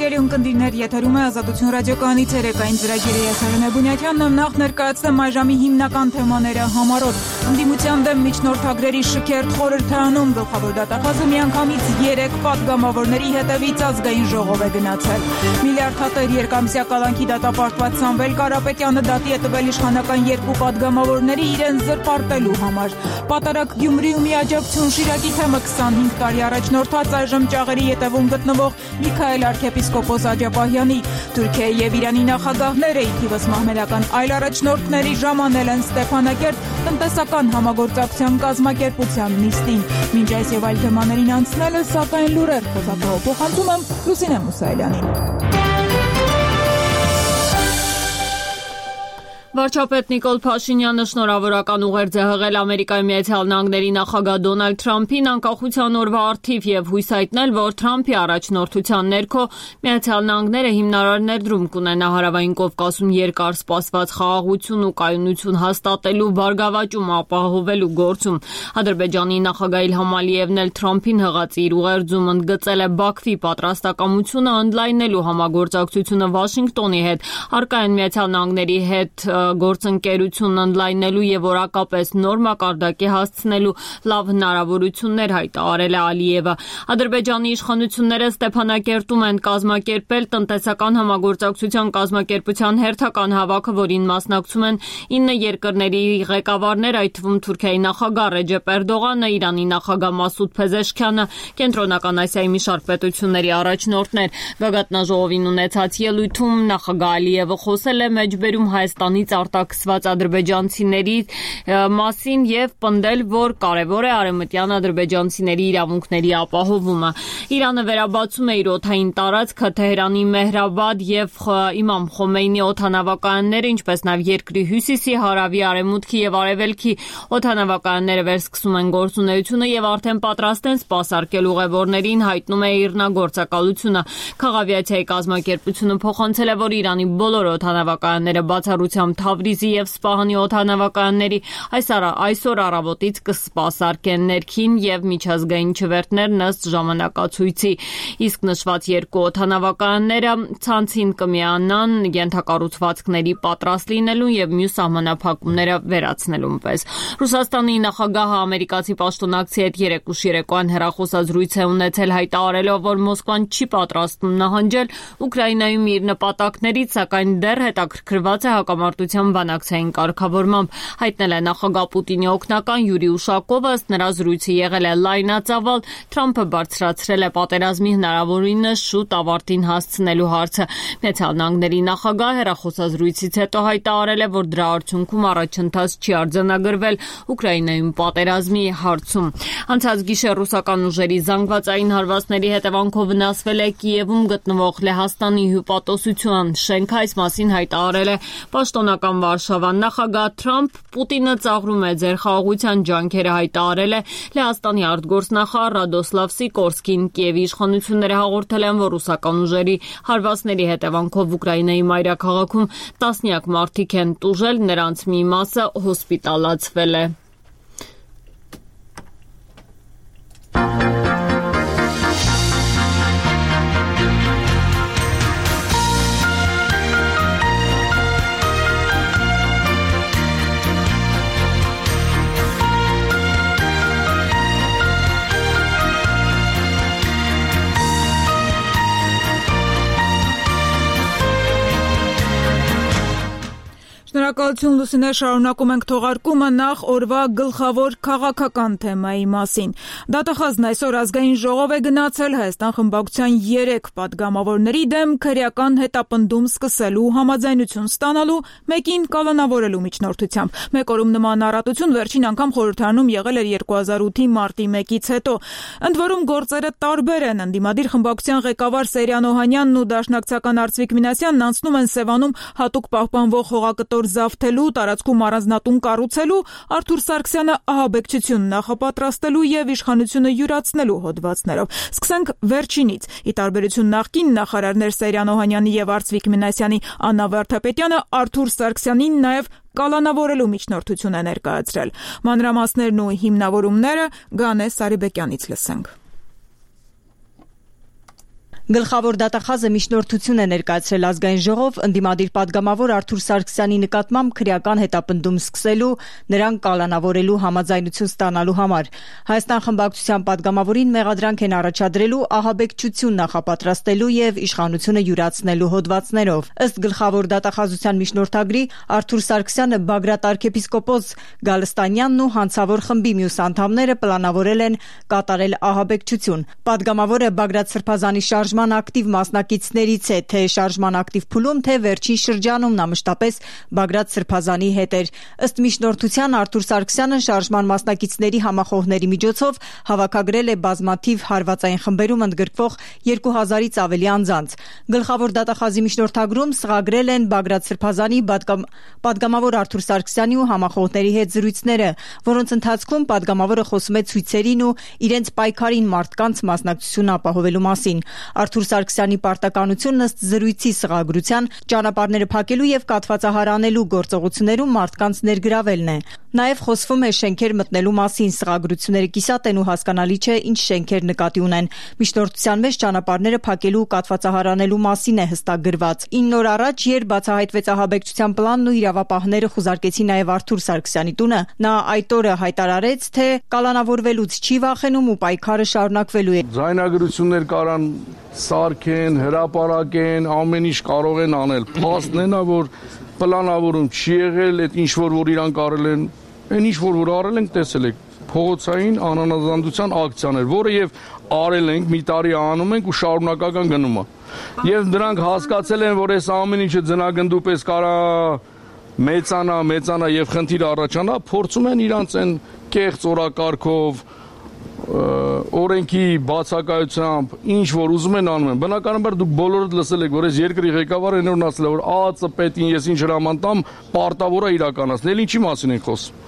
Սիրելի ունկնդիրներ, եթերում է Ազատություն ռադիոկայանի ցերեկային ծրագիրը, ես Արենե Բունյաթյանն եմ, նախ ներկայացնեմ այժմի հիմնական թեմաները համառոտ։ Ընդդիմության դեմ միջնորդագրերի շքերթ խորհրդարանում գլխավոր դատախազը միանգամից 3 պատգամավորների հետևից ազգային ժողով է գնացել։ Միլիարդատեր երկամսյա կալանքի դատապարտված Սամվել Կարապետյանը դատի է տվել իշխանական 2 պատգամավորների իրեն զրպարտելու համար։ Պատարակ Գյումրիում միաջակցություն Շիրակի թեմը 25 տարի առաջ նորթած այժմ ճաղերի ետևում գտնվող Միքայել arքեպիսկոպոս Աջապահյանի, Թուրքիայի եւ Իրանի նախագահները ի թիվս մահմեդական այլ առաջնորդների ժամանել են Ստեփանակերտ տնտեսական համագործակցության կազմակերպության նիստին։ Մինչ այս եւ այլ թեմաներին անցնելը, սակայն լուրեր փոխանցում եմ Լուսինե Մուսայելյանին։ Վարչապետ Նիկոլ Փաշինյանը շնորհավորական ուղերձ է հղել Ամերիկայի Միացյալ Նահանգների նախագահ Դոնալդ Թրամփին անկախության օրվա առթիվ եւ հույս հայտնել, որ Թրամփի առաջնորդության ներքո Միացյալ Նահանգները հիմնարար ներդրում կունենա Հարավային Կովկասում երկար սպասված խաղաղություն ու կայունություն հաստատելու բարգավաճում ապահովելու գործում։ Ադրբեջանի նախագահ Իլհամ Ալիևն էլ Թրամփին հղած իր ուղերձում ընդգծել է Բաքվի պատրաստակամությունը ընդլայնելու համագործակցությունը Վաշինգտոնի հետ, առկա են Միացյալ Նահանգների հետ գործընկերություն ընդլայնելու եւ որակապես նոր մակարդակի հասցնելու լավ հնարավորություններ հայտարարել է Ալիևը։ Ադրբեջանի իշխանությունները Ստեփանակերտում են կազմակերպել տնտեսական համագործակցության կազմակերպության հերթական հավաքը, որին մասնակցում են 9 երկրների ղեկավարներ, այդ թվում Թուրքիայի նախագահ Ռեջեփ Էրդողանը, Իրանի նախագահ Մասուդ Փեզեշքյանը, Կենտրոնական Ասիայի մի շարք պետությունների առաջնորդներ։ Գագաթնաժողովին ունեցած ելույթում նախագահ Ալիևը խոսել է մեջբերում Հայաստանից արտաքսված ադրբեջանցիների մասին եւ պնդել, որ կարեւոր է արևմտյան ադրբեջանցիների իրավունքների ապահովումը։ Իրանը վերաբացում է իր օդային տարածքը Թեհրանի Մեհրաբադ եւ Իմամ Խոմեյնի օդանավականները, ինչպես նաեւ երկրի հյուսիսի, հարավի, արևմուտքի եւ արևելքի օդանավականները վերսկսում են գործունեությունը եւ արդեն պատրաստ են սպասարկել ուղևորներին, հայտնում է Իրնագործակալությունը։ Քաղավիացիայի կազմակերպությունը փոխանցել է, որ Իրանի բոլոր օդանավականները բացառությամբ Թավրիզի եւ Սպահանի օդանավականների այսօր առավոտից կսպասարկեն ներքին եւ միջազգային չվերթներն ըստ ժամանակացույցի, իսկ նշված 2 օդանավականները ցանցին կմիանան ենթակառուցվածքների պատրաստ լինելու եւ մյուս սահմանափակումները վերացնելուն պես։ Ռուսաստանի նախագահը ամերիկացի պաշտոնակցի հետ երեկուշ երեկոյան հեռախոսազրույց է ունեցել, հայտարարելով, որ Մոսկվան չի պատրաստվում նահանջել Ուկրաինայում իր նպատակներից, սակայն դեռ հետաքրքրված է հակամարտության բանակցային կարգավորմամբ, հայտնել է նախագահ Պուտինի օգնական Յուրի Ուշակովը, ըստ նրա զրույցը եղել է լայնածավալ, Թրամփը բարձրացրել է պատերազմի հնարավորինս շուտ ավարտին հասցնելու հարցը։ Միացյալ Նահանգների նախագահը հեռախոսազրույցից հետո հայտարարել է, որ դրա արդյունքում առաջընթաց չի արձանագրվել Ուկրաինայում պատերազմի հարցում։ Անցած գիշեր ռուսական ուժերի զանգվածային հարվածների հետևանքով վնասվել է Կիևում գտնվող Լեհաստանի հյուպատոսության շենքը, այս մասին հայտարարել է պաշտոնական Վարշավան։ Նախագահ Թրամփ Պուտինը ծաղրում է ձեր խաղաղության ջանքերը, հայտարարել է Լեհաստանի արտգործնախարար Ռադոսլավ Սիկորսկին։ Կիևի իշխանությունները հաղորդել են, որ ռուսական ուժերի հարվածների հետևանքով Ուկրաինայի մայրաքաղաքում տասնյակ մարդիկ են տուժել, նրանց մի մասը հոսպիտալացվել է։ Շնորհակալություն Լուսինե, շարունակում ենք թողարկումը նախ օրվա գլխավոր քաղաքական թեմայի մասին։ Դատախազն այսօր ազգային ժողով է գնացել Հայաստան խմբակցության 3 պատգամավորների դեմ քրեական հետապնդում սկսելու համաձայնություն ստանալու, մեկին կալանավորելու միջնորդությամբ։ Մեկ օրում նման առատություն վերջին անգամ խորհրդարանում եղել էր 2008-ի մարտի 1-ից հետո։ Ընդ որում գործերը տարբեր են։ Ընդդիմադիր խմբակցության ղեկավար Սերյան Օհանյանն ու դաշնակցական Արծվիկ Մինասյանն անցնում են Սևանում հատուկ պահպանվող հողակտոր զավթելու, տարածքում առանձնատուն կառուցելու, Արթուր Սարգսյանը ահաբեկչություն նախապատրաստելու եւ իշխանությունը յուրացնելու հոդվածներով։ Սկսենք վերջինից։ Ի տարբերություն նախկին նախարարներ Սերյան Օհանյանի եւ Արծվիկ Մինասյանի, Աննա Վարդապետյանը Արթուր Սարգսյանին նաեւ կալանավորելու միջնորդություն է ներկայացրել։ Մանրամասներն ու հիմնավորումները Գանե Սարիբեկյանից լսենք։ Գլխավոր դատախազը միջնորդություն է ներկայացրել ազգային ժողով ընդդիմադիր պատգամավոր Արթուր Սարգսյանի նկատմամբ քրեական հետապնդում սկսելու, նրան կալանավորելու համաձայնություն ստանալու համար։ Հայաստան խմբակցության պատգամավորին մեղադրանք են առաջադրելու ահաբեկչություն նախապատրաստելու եւ իշխանությունը յուրացնելու հոդվածներով։ Ըստ գլխավոր դատախազության միջնորդագրի Արթուր Սարգսյանը, Բագրատ arczepiskopos Գալստանյանն ու հանցավոր խմբի մյուս անդամները պլանավորել են կատարել ահաբեկչություն։ Պատգամավորը Բագրատ Սրբազանի շարժման ակտիվ մասնակիցներից է, թե շարժման ակտիվ փուլում, թե վերջին շրջանում նա մշտապես Բագրատ Սրբազանի հետ էր։ Ըստ միջնորդության Արթուր Սարգսյանը շարժման մասնակիցների համախոհների միջոցով հավաքագրել է բազմաթիվ հարվածային խմբերում ընդգրկվող 2000-ից ավելի անձանց։ Գլխավոր դատախազի միջնորդագրում սղագրել են Բագրատ Սրբազանի պատգամավոր Արթուր Սարգսյանի ու համախոհների հետ զրույցները, որոնց ընթացքում պատգամավորը խոսում է ցույցերին ու իրենց պայքարին մարդկանց մասնակցություն ապահովելու մասին։ Արթուր Սարգսյանի պարտականությունն ըստ զրույցի սղագրության ճանապարհները փակելու եւ կաթվածահարանելու գործողություններում մարդկանց ներգրավելն է։ Նաեւ խոսվում է շենքեր մտնելու մասին։ Սղագրությունները կիսատ են ու հասկանալի չէ ինչ շենքեր նկատի ունեն։ Միջնորդության մեջ ճանապարհները փակելու ու կաթվածահարանելու մասին է հստակ գրված։ 9 օր առաջ, երբ բացահայտվեց ահաբեկչության պլանն ու իրավապահները խուզարկեցին նաեւ Արթուր Սարգսյանի տունը, նա այդ օրը հայտարարեց, թե կալանավորվելուց չի վախենում ու պայքարը շարունակվելու է։ Ձայնագրություններ կարան սարքեն, հրապարակեն, ամեն ինչ կարող են անել։ Փաստն է նա, որ պլանավորում չի եղել, այդ ինչ որ իրանք արել են, այն ինչ որ արել ենք, տեսել եք, փողոցային անանազանդության ակցիաներ, որը եւ արել ենք, մի տարի անում ենք ու շարունակական գնում է։ Եվ նրանք հասկացել են, որ այս ամեն ինչը ձնագնդու պես կարա մեծանա եւ խնդիր առաջանա, փորձում են իրանց այն կեղծ օրակարգով օրենքի բացակայությամբ ինչ որ ուզում են անում են։ Բնականաբար դուք բոլորդ լսել եք, որ այս երկրի ղեկավարը այնօրն ասել է, որ ԱԱԾ պետին ես ինչ հրաման տամ, պարտավոր է իրականացնել։ Ինչի մասին ենք խոսում։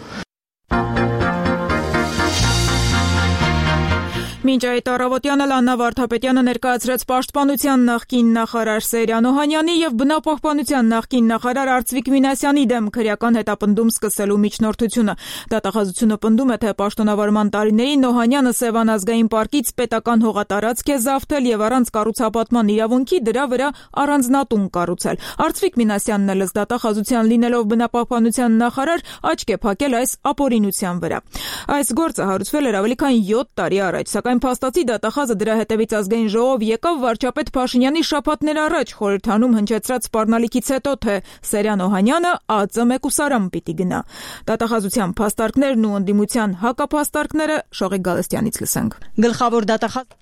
Մինչ այդ առավոտյանը Լաննա Վարդապետյանը ներկայացրեց Պաշտպանության նախկին նախարար Սերյան Օհանյանի եւ Բնապահպանության նախկին նախարար Արծվիկ Մինասյանի դեմ քրեական հետապնդում սկսելու միջնորդությունը։ Դատախազությունը պնդում է, թե պաշտոնավարման տարիներին Օհանյանը Սևան ազգային պարկից պետական հողատարածք է զավթել եւ առանց կառուցապատման իրավունքի դրա վրա առանձնատուն կառուցել։ Արծվիկ Մինասյանն էլ դատախազության լինելով Բնապահպանության նախարար աչք է փակել այս ապօրինության վրա։ Այս գործը հարուցվել էր ավելի քան 7 տարի առաջ, սակայն փաստացի դատախազը դրա հետևից ազգային ժողով եկավ վարչապետ Փաշինյանի շաբաթներ առաջ խորհրդանում հնչեցրած սպառնալիքից հետո, թե Սերյան Օհանյանը ԱԱԾ մեկուսարան պիտի գնա։ Դատախազության փաստարկներն ու ընդդիմության հակափաստարկները Շողիկ Գալստյանից լսենք։ Գլխավոր դատախազ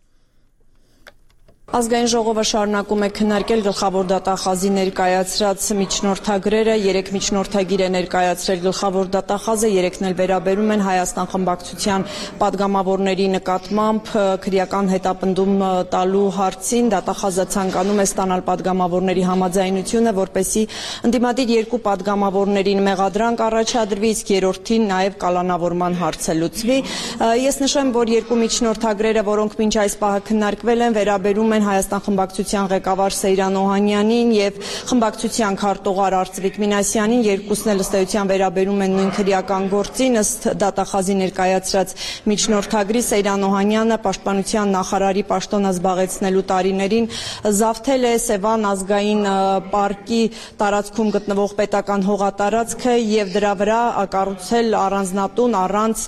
Ազգային ժողովը շարունակում է քննարկել գլխավոր դատախազի ներկայացրած միջնորդագրերը, 3 միջնորդագիր է ներկայացրել գլխավոր դատախազը, 3-ն էլ վերաբերում են Հայաստան խմբակցության падգամավորների նկատմամբ քրեական հետապնդում տալու հարցին։ Դատախազը ցանկանում է ստանալ падգամավորների համաձայնությունը, որպեսզի ընդդիմադիր 2 падգամավորներին մեղադրանք առաջադրվի, իսկ երրորդին նաև կալանավորման հարցը լուծվի։ Ես նշեմ, որ 2 միջնորդագրերը, որոնք մինչ այս պահը քննարկվել են, վերաբերում Հայաստան խմբակցության ղեկավար Սերյան Օհանյանին եւ խմբակցության քարտուղար Արծվիկ Մինասյանին, երկուսն էլ ըստ էության վերաբերում են նույն քրեական գործին։ Ըստ դատախազի ներկայացրած միջնորդագրի Սերյան Օհանյանը պաշտպանության նախարարի պաշտոնը զբաղեցնելու տարիներին զավթել է Սևան ազգային պարկի տարածքում գտնվող պետական հողատարածքը եւ դրա վրա կառուցել առանձնատուն առանց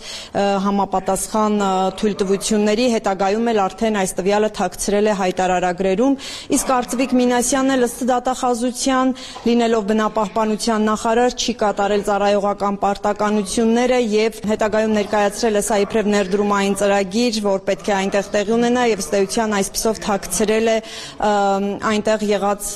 համապատասխան թույլտվությունների, հետագայում էլ արդեն այս տվյալը թաքցրել է հայտարարագրերում, իսկ Արծվիկ Մինասյանն էլ ըստ դատախազության, լինելով բնապահպանության նախարար, չի կատարել ծառայողական պարտականությունները եւ հետագայում ներկայացրել է սա իբրև ներդրումային ծրագիր, որ պետք է այնտեղ տեղի ունենա եւ ըստ էության այսպիսով թաքցրել է այնտեղ եղած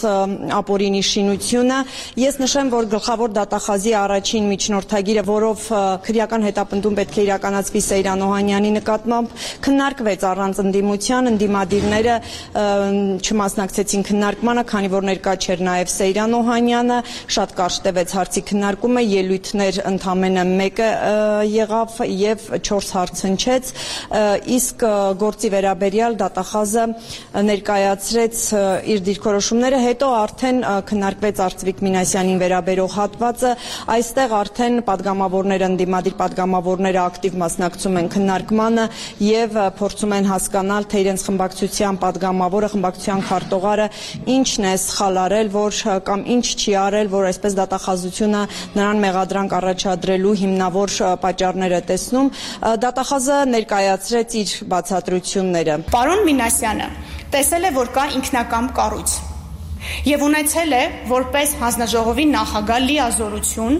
ապօրինի շինությունը։ Ես նշեմ, որ գլխավոր դատախազի առաջին միջնորդագիրը, որով քրեական հետապնդում պետք է իրականացվի Սերյան Օհանյանի նկատմամբ, քննարկվեց առանց ընդդիմության, ընդդիմադիրները չմասնակցեցին քննարկմանը, քանի որ ներկա չէր նաև Սերյան Օհանյանը, շատ կարճ տևեց հարցի քննարկումը, ելույթներ ընդամենը մեկը եղավ եւ 4 հարց հնչեց, իսկ գործի վերաբերյալ դատախազը ներկայացրեց իր դիրքորոշումները, հետո արդեն քննարկվեց Արծվիկ Մինասյանին վերաբերող հատվածը, այստեղ արդեն падգամավորները, ընդդիմադիր падգամավորները ակտիվ մասնակցում են քննարկմանը եւ փորձում են հասկանալ, թե իրենց խմբակցության падգամավորները պատգամավորը, խմբակցության քարտուղարը ինչն է սխալ արել, որ կամ ինչ չի արել, որ այսպես դատախազությունը նրան մեղադրանք առաջադրելու հիմնավոր պատճառներ է տեսնում։ Դատախազը ներկայացրեց իր բացատրությունները։ Պարոն Մինասյանը տեսել է, որ կա ինքնակամ կառույց եւ ունեցել է որպես հանձնաժողովի նախագահ լիազորություն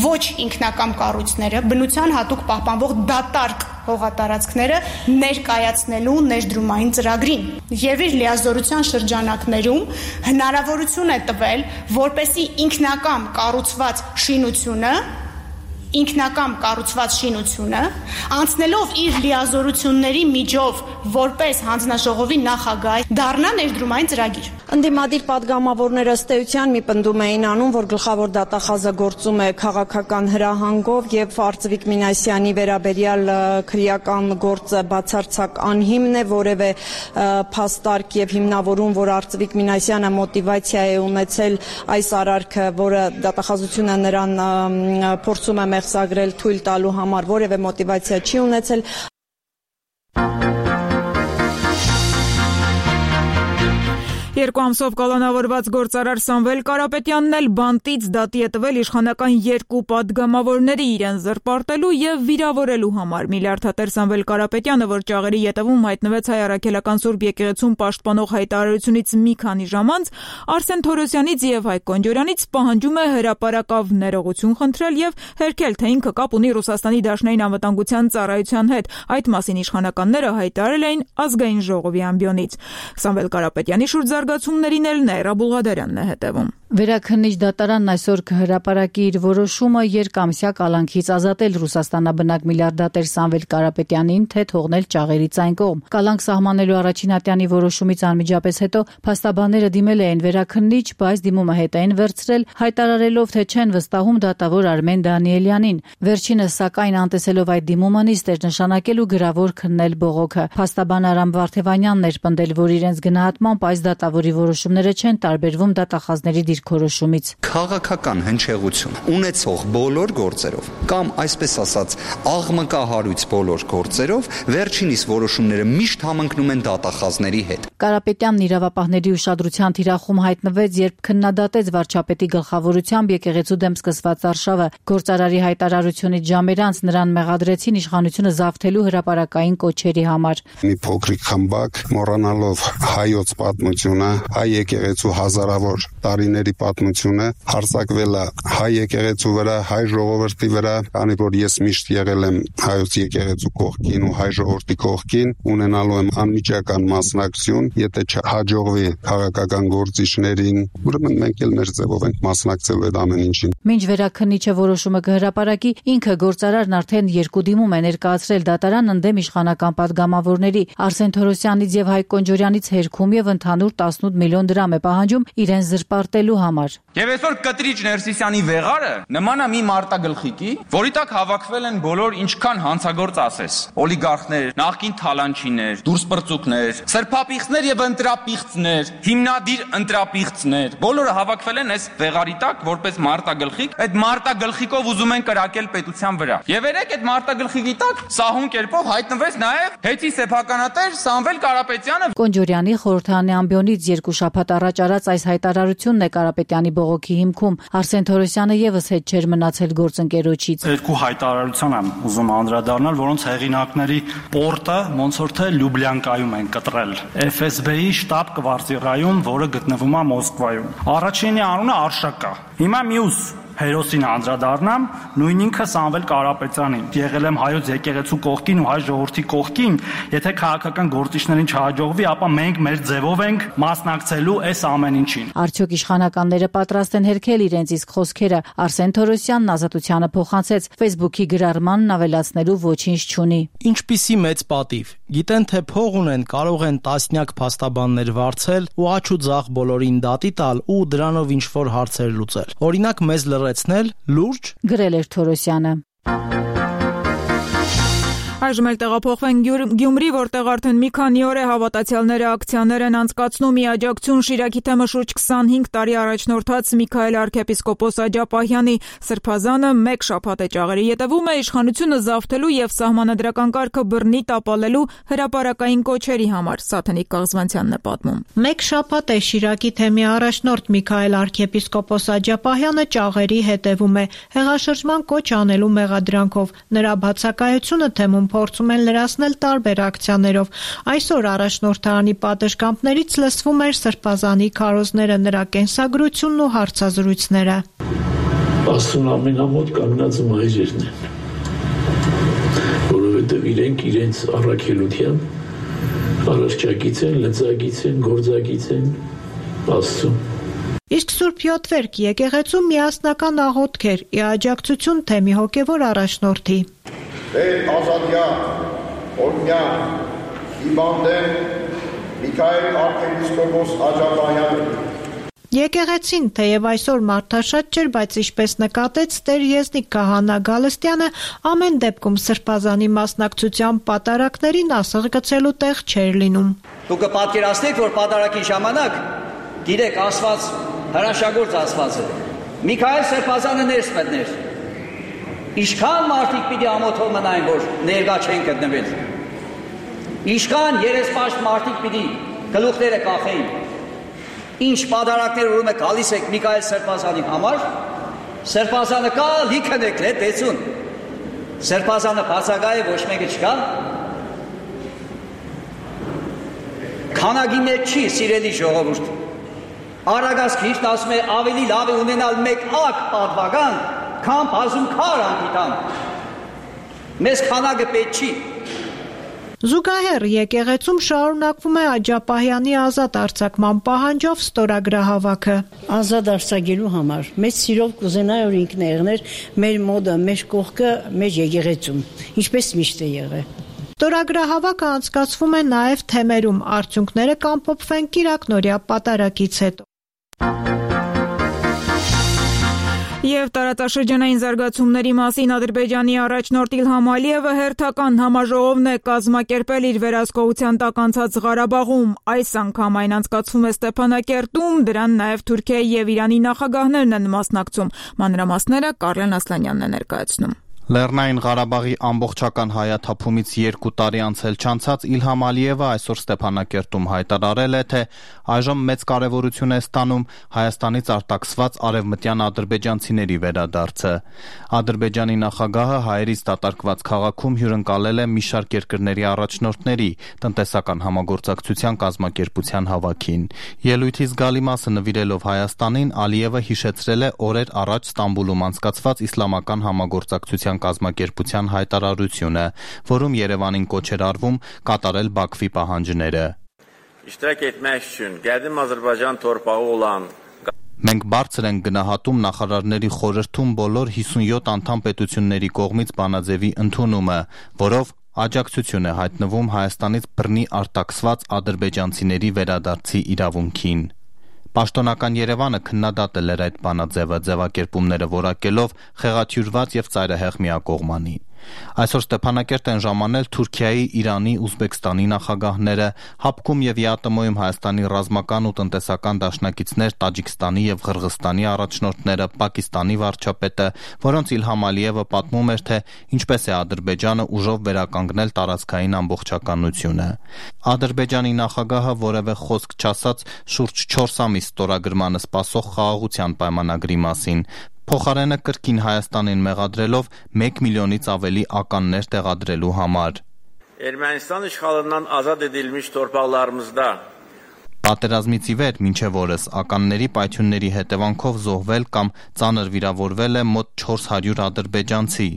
ոչ ինքնակամ կառույցները բնության հատուկ պահպանվող դատարկ հողատարածքները ներկայացնելու ներդրումային ծրագրին եւ իր լիազորության շրջանակներում հնարավորություն է տվել, որպեսզի ինքնակամ կառուցված շինությունը անցնելով իր լիազորությունների միջով որպես հանձնաժողովի նախագահ դառնա ներդրումային ծրագիր։ Ընդդիմադիր պատգամավորները ըստ էության մի պնդում էին անում, որ գլխավոր դատախազը գործում է քաղաքական հրահանգով եւ Արծվիկ Մինասյանի վերաբերյալ քրեական գործը բացարձակ անհիմն է, որևէ փաստարկ եւ հիմնավորում, որ Արծվիկ Մինասյանը մոտիվացիա է ունեցել այս արարքը, որը դատախազությունը նրան փորձում է մեղսագրել թույլ տալու համար, որևէ մոտիվացիա չի ունեցել։ Երկու ամսով կալանավորված գործարար Սամվել Կարապետյանն էլ բանտից դատի է տվել իշխանական երկու պատգամավորների իրեն զրպարտելու եւ վիրավորելու համար։ Միլիարդատեր Սամվել Կարապետյանը, որ ճաղերի ետևում հայտնվեց Հայ Առաքելական Սուրբ եկեղեցուն պաշտպանող հայտարարությունից մի քանի ժամ անց, Արսեն Թորոսյանից եւ Հայկ Կոնջորյանից պահանջում է հրապարակավ ներողություն խնդրել եւ հերքել, թե ինքը կապ ունի Ռուսաստանի Դաշնային անվտանգության ծառայության հետ։ Այդ մասին իշխանականները հայտարարել էին ազգային ժողովի ամբիոնից։ Սամվել Կարապետյանի շուրջ զարգացումներին էլ Նաիրա Բուլղադարյանն է հետևում։ Վերաքննիչ դատարանն այսօր կհրապարակի իր որոշումը երկամսյա կալանքից ազատել Ռուսաստանաբնակ միլիարդատեր Սամվել Կարապետյանին, թե թողնել ճաղերից այն կողմ։ Կալանք սահմանելու առաջին ատյանի որոշումից անմիջապես հետո փաստաբանները դիմել էին վերաքննիչ, բայց դիմումը հետ էին վերցրել, հայտարարելով, թե չեն վստահում դատավոր Արմեն Դանիելյանին։ Վերջինս սակայն անտեսելով այդ դիմումը նիստ էր նշանակել ու գրավոր քննել բողոքը։ Փաստաբան Արամ Վարդևանյանն էր պնդել, որ իրենց գնահատմամբ այս դատավորի որոշումները չեն տարբերվում դատախազների դիրքորոշումից։ Քաղաքական հնչեղություն ունեցող բոլոր գործերով կամ այսպես ասած աղմկահարույց բոլոր գործերով վերջինիս որոշումները միշտ համընկնում են դատախազների հետ։ Կարապետյանն իրավապահների ուշադրության թիրախում հայտնվեց, երբ քննադատեց վարչապետի գլխավորությամբ եկեղեցու դեմ սկսված արշավը։ Գործարարի հայտարարությունից ժամեր անց նրան մեղադրեցին իշխանությունը զավթելու հրապարակային կոչերի համար։ Մի փոքրիկ խմբակ մոռանալով հայոց պատմությունը, հայ եկեղեցու հազարավոր տարիների պատմությունը հարձակվել է հայ եկեղեցու վրա, հայ ժողովրդի վրա, քանի որ ես միշտ եղել եմ հայոց եկեղեցու կողքին ու հայ ժողովրդի կողքին, ունենալու եմ անմիջական մասնակցություն, եթե չհաջողվի քաղաքական գործիչներին, ուրեմն մենք էլ մեր ձևով ենք մասնակցելու այդ ամեն ինչին։ Մինչ վերաքննիչը որոշումը կհրապարակի, ինքը գործարարն արդեն երկու դիմում է ներկայացրել դատարան ընդդեմ իշխանական պատգամավորների Արսեն Թորոսյանից եւ Հայկ Կոնջորյանից հերքում եւ ընդհանուր 18 միլիոն դրամ է պահանջում իրեն զրպարտելու համար։ Եվ այսօր Կտրիչ Ներսիսյանի վեղարը նման է մի մարտագլխիկի, որի տակ հավաքվել են բոլոր ինչքան հանցագործ ասես, օլիգարխներ, նախկին թալանչիներ, դուրսպրծուկներ, սրբապիղծներ եւ ընտրապիղծներ, հիմնադիր ընտրապիղծներ, բոլորը հավաքվել են այս վեղարի տակ որպես մարտագլխիկ, այդ մարտագլխիկով ուզում են կրակել պետության վրա։ Եվ երեք այդ մարտագլխիկի տակ սահուն կերպով հայտնվեց նաեւ հետի սեփականատեր Սամվել Կարապետյանը։ Կոնջորյանի խորհրդարանի ամբիոնից երկու շաբաթ առաջ արած այս հայտարարությունն է Կարապետյանի բողոքի հիմքում։ Արսեն Թորոսյանը եւս հետ չէր մնացել գործընկերոջից։ Երկու հայտարարության եմ ուզում անդրադառնալ, որոնց հեղինակների պորտը ոնց որ թե Լյուբլյանկայում են կտրել։ FSB-ի շտաբ կվարտիրայում, որը գտնվում է Մոսկվայում։ Առաջինի անունը Արշակա։ Հիմա մյուս հերոսին անդրադառնամ, նույն ինքը Սամվել Կարապետյանին։ Եղել եմ հայոց եկեղեցու կողքին ու հայ ժողովրդի կողքին, եթե քաղաքական գործիչներին չհաջողվի, ապա մենք մեր ձևով ենք մասնակցելու այս ամեն ինչին։ Արդյոք իշխանականները պատրաստ են հերքել իրենց իսկ խոսքերը։ Արսեն Թորոսյանն ազատությանը փոխանցեց, Facebook-ի գրառմանն ավելացնելու ոչինչ չունի։ Ինչպիսի մեծ պատիվ։ Գիտեն, թե փող ունեն, կարող են տասնյակ փաստաբաններ վարձել ու աչ ու ձախ բոլորին դատի տալ ու դրանով ինչ-որ հարցեր լուծել։ Օրինակ մեզ լրացնել լուրջ, գրել էր Թորոսյանը։ Այժմ էլ տեղափոխվենք Գյումրի, որտեղ արդեն մի քանի օր է հավատացյալները ակցիաներ են անցկացնում ի աջակցություն Շիրակի թեմը շուրջ 25 տարի առաջնորդած Միքայել arczepiskopos Աջապահյանի սրբազանը մեկ շաբաթ է ճաղերի ետևում է իշխանությունը զավթելու եւ սահմանադրական կարգը բռնի տապալելու հրապարակային կոչերի համար, Սաթենիկ Կաղզվանցյանն է պատմում։ Մեկ շաբաթ է Շիրակի թեմի առաջնորդ Միքայել arczepiskopos Աջապահյանը ճաղերի հետևում է հեղաշրջման կոչ անելու մեղադրանքով։ Նրա բացակայությունը թեմում փորձում են լրացնել տարբեր ակցիաներով։ Այսօր առաջնորդարանի պատշգամբներից լսվում էր սրբազանի քարոզները, նրա կենսագրությունն ու հարցազրույցները։ Աստծուն ամենամոտ կանգնածը մայրերն են, որովհետև իրենք իրենց առաքելության առարճակից են, լծակից են, գործակից են Աստծուն։ Իսկ Սուրբ Յոթվերք եկեղեցու միասնական աղոթք էր ի աջակցություն թեմի հոգևոր առաջնորդի։ Ազատյան, օրհնյան, հիվանդեն Միքայել arczepiskopos Աջապահյանը։ Եկեղեցին, թեև այսօր մարդաշատ չէր, բայց ինչպես նկատեց Տեր Եզնիկ Քահանա Գալստյանը, ամեն դեպքում սրբազանի մասնակցության պատարակներին ասեղ գցելու տեղ չէր լինում։ Դուք կպատկերացնեք, որ պատարակի ժամանակ գիտեք ասված հրաշագործ ասված է։ Միքայել սրբազանը ներս մտներ։ Ինչքան մարդիկ պիտի ամոթով մնային, որ ներկա չեն գտնվել։ Ինչքան երեսպաշտ մարդիկ պիտի գլուխները կախեին։ Ինչ պատարակներ ուրում եք գալիս եք Միքայել սրբազանի համար, սրբազանը կա, լիքն եք տեսուն։ Սրբազանը բացակա է, ոչ մեկը չկա։ Քանակի մեջ չի, սիրելի ժողովուրդ։ Արագած Քրիստոսն ասում է ավելի լավ է ունենալ մեկ ակ պատվական, քան բազում քար անգիտան։ Մեզ քանակը պետք չի։ Զուգահեռ եկեղեցում շարունակվում է Աջապահյանի ազատ արձակման պահանջով ստորագրահավաքը։ Ազատ արձակելու համար մեծ սիրով կուզենայի, որ ինքն եղներ մեր մոդը, մեր կողքը, մեր եկեղեցում, ինչպես միշտ է եղել։ Ստորագրահավաքը անցկացվում է նաև թեմերում, արդյունքները կամփոփվեն Կիրակնորյա պատարակից հետո։ Եվ տարածաշրջանային զարգացումների մասին Ադրբեջանի առաջնորդ Իլհամ Ալիևը հերթական համաժողովն է կազմակերպել իր վերահսկողության տակ անցած Ղարաբաղում։ Այս անգամ այն անցկացվում է Ստեփանակերտում, դրան նաև Թուրքիայի եւ Իրանի նախագահներն են մասնակցում։ Մանրամասները Կարլեն Ասլանյանն է ներկայացնում։ Լեռնային Ղարաբաղի ամբողջական հայաթափումից 2 տարի անցել չանցած Իլհամ Ալիևը այսօր Ստեփանակերտում հայտարարել է, թե այժմ մեծ կարևորություն է ստանում Հայաստանից արտաքսված արևմտյան ադրբեջանցիների վերադարձը։ Ադրբեջանի նախագահը հայերից դատարկված քաղաքում հյուրընկալել է մի շարք երկրների առաջնորդների տնտեսական համագործակցության կազմակերպության հավաքին։ Ելույթի զգալի մասը նվիրելով Հայաստանին, Ալիևը հիշեցրել է օրեր առաջ Ստամբուլում անցկացված իսլամական համագործակցության կազմակերպության հայտարարությունը, որում Երևանին կոչ էր արվում կատարել Բաքվի պահանջները։ Մենք բարձր ենք գնահատում նախարարների խորհրդում բոլոր 57 անդամ պետությունների կողմից բանաձևի ընդունումը, որով աջակցություն է հայտնվում Հայաստանից բռնի արտաքսված ադրբեջանցիների վերադարձի իրավունքին։ Պաշտոնական Երևանը քննադատել էր այդ բանաձևը, ձևակերպումները որակելով խեղաթյուրված եւ ծայրահեղ միակողմանի։ Այսօր Ստեփանակերտ են ժամանել Թուրքիայի, Իրանի, Ուզբեկստանի նախագահները, ՀԱՊԿ-ում եւ ԵԱՏՄ-ում Հայաստանի ռազմական ու տնտեսական դաշնակիցներ Տաջիկստանի եւ Ղրղստանի առաջնորդները, Պակիստանի վարչապետը, որոնց Իլհամ Ալիևը պատմում էր, թե ինչպես է Ադրբեջանը ուժով վերականգնել տարածքային ամբողջականությունը։ Ադրբեջանի նախագահը որևէ խոսք չասաց շուրջ 4 ամիս ստորագրմանը սպասող խաղաղության պայմանագրի մասին։ Փոխարենը կրկին Հայաստանին մեղադրելով 1 միլիոնից ավելի ականներ տեղադրելու համար։ Ermənistan işğalından azad edilmiş torpaqlarımızda Պատերազմից ի վեր մինչև օրս ականների պայթյունների հետևանքով զոհվել կամ ծանր վիրավորվել է մոտ 400 ադրբեջանցի։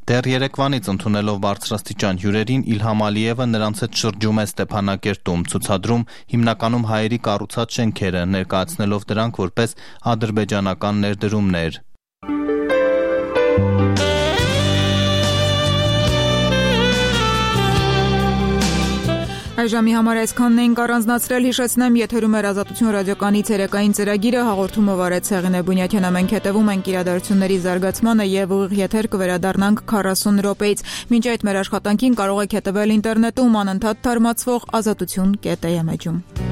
Դեռ երեկվանից ընդունելով բարձրաստիճան հյուրերին Իլհամ Ալիևը նրանց հետ շրջում է Ստեփանակերտում, ցուցադրում հիմնականում հայերի կառուցած շենքերը, ներկայացնելով դրանք որպես ադրբեջանական ներդրումներ։ Այժմի համար այսքանն էինք առանձնացրել, հիշեցնեմ, եթերում էր Ազատություն ռադիոկայանի ցերեկային ծրագիրը, հաղորդումը վարեց Հեղինե Բունյաթյանը, մենք հետևում ենք իրադարձությունների զարգացմանը եւ ուղիղ եթեր կվերադառնանք 40 րոպեից։ Մինչ այդ մեր աշխատանքին կարող եք հետևել ինտերնետում անընդհատ թարմացվող azatutun.am էջում։